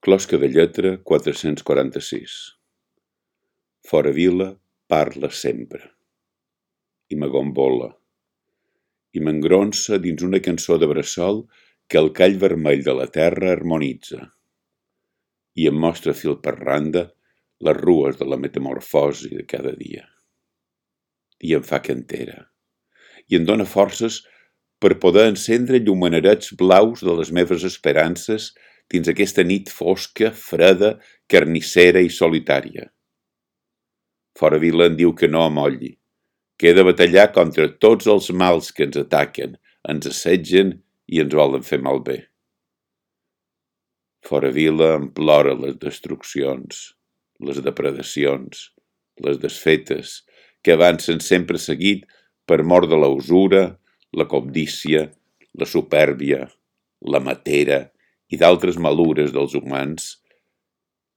Closca de lletra 446. Fora vila parla sempre, i m'agombola, i m'engronsa dins una cançó de bressol que el call vermell de la terra harmonitza, i em mostra fil per randa les rues de la metamorfosi de cada dia. I em fa cantera, i em dóna forces per poder encendre llumenarets blaus de les meves esperances dins aquesta nit fosca, freda, carnissera i solitària. Fora vila en diu que no amolli, que he de batallar contra tots els mals que ens ataquen, ens assetgen i ens volen fer malbé. Fora vila em plora les destruccions, les depredacions, les desfetes, que avancen sempre seguit per mor de la usura, la cobdícia, la supèrbia, la matera i d'altres malures dels humans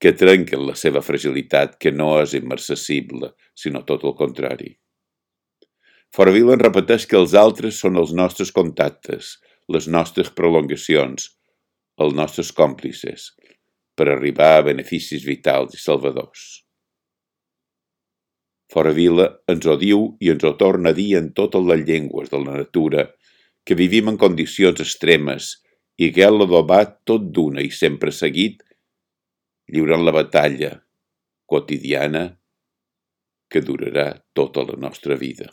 que trenquen la seva fragilitat, que no és immarcessible, sinó tot el contrari. Fora vila en repeteix que els altres són els nostres contactes, les nostres prolongacions, els nostres còmplices, per arribar a beneficis vitals i salvadors. Fora vila ens ho diu i ens ho torna a dir en totes les llengües de la natura, que vivim en condicions extremes i que l'ha adobat tot d'una i sempre seguit, lliurant la batalla quotidiana que durarà tota la nostra vida.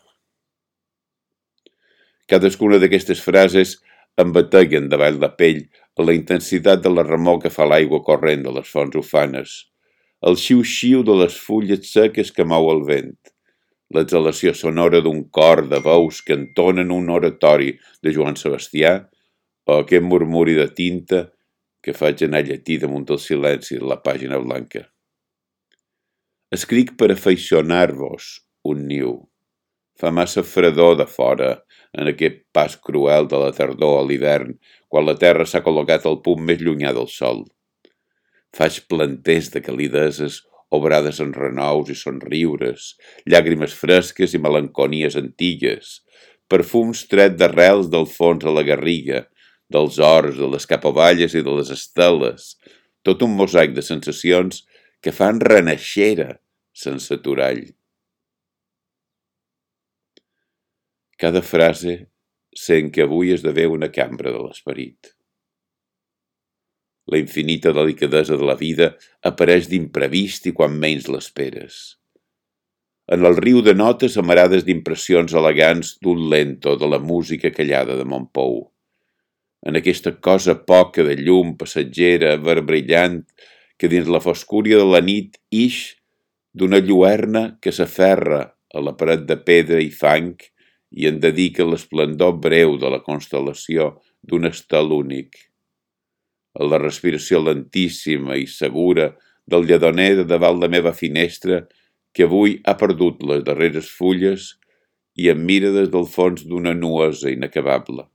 Cadascuna d'aquestes frases em bateguen davall la pell a la intensitat de la remor que fa l'aigua corrent de les fonts ufanes, el xiu-xiu de les fulles seques que mou el vent, l'exhalació sonora d'un cor de veus que entonen un oratori de Joan Sebastià o aquest murmuri de tinta que faig anar llatí damunt del silenci de la pàgina blanca. Escric per afeicionar-vos un niu. Fa massa fredor de fora en aquest pas cruel de la tardor a l'hivern, quan la terra s'ha col·locat al punt més llunyà del sol. Faig planters de calideses obrades en renous i somriures, llàgrimes fresques i melanconies antigues, perfums tret d'arrels del fons a la garriga, dels horts, de les capovalles i de les esteles, tot un mosaic de sensacions que fan renaixera sense aturall. Cada frase sent que avui esdevé una cambra de l'esperit. La infinita delicadesa de la vida apareix d'imprevist i quan menys l'esperes. En el riu de notes amarades d'impressions elegants d'un lento de la música callada de Montpou. En aquesta cosa poca de llum passatgera, verbrillant, que dins la foscúria de la nit ix d'una lluerna que s'aferra a la paret de pedra i fang i en dedica l'esplendor breu de la constel·lació d'un estel únic. A la respiració lentíssima i segura del lledoner de davant la meva finestra que avui ha perdut les darreres fulles i em mira des del fons d'una nuesa inacabable.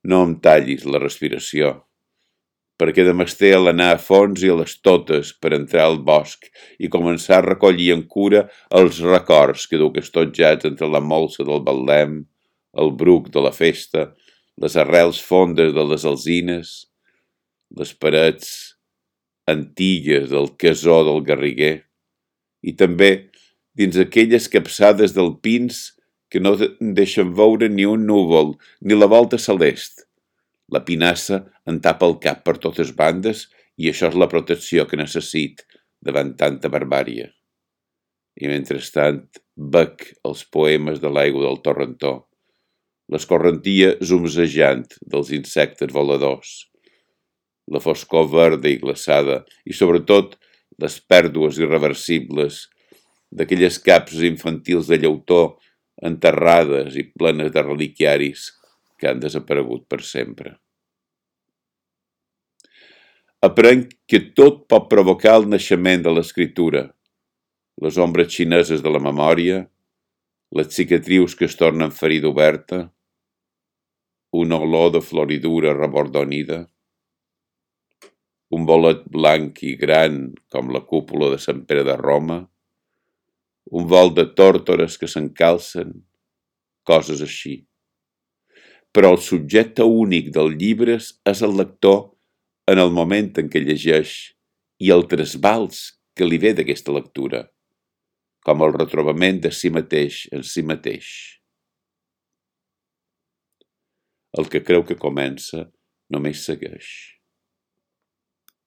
No em tallis la respiració, perquè demesté a l'anar a fons i a les totes per entrar al bosc i començar a recollir en cura els records que duc estotjats entre la molsa del Betlem, el bruc de la festa, les arrels fondes de les alzines, les parets antigues del casó del Garriguer, i també dins aquelles capçades d'alpins que no deixen veure ni un núvol ni la volta celest. La pinassa en tapa el cap per totes bandes i això és la protecció que necessit davant tanta barbària. I mentrestant bec els poemes de l'aigua del torrentó, l'escorrentia zumzejant dels insectes voladors, la foscor verda i glaçada i sobretot les pèrdues irreversibles d'aquelles capses infantils de llautó enterrades i plenes de reliquiaris que han desaparegut per sempre. Aprenc que tot pot provocar el naixement de l'escriptura, les ombres xineses de la memòria, les cicatrius que es tornen ferida oberta, una olor de floridura rebordonida, un bolet blanc i gran com la cúpula de Sant Pere de Roma, un vol de tórtores que s'encalcen, coses així. però el subjecte únic del llibre és el lector en el moment en què llegeix i el trasbals que li ve d'aquesta lectura, com el retrobament de si mateix en si mateix. El que creu que comença només segueix.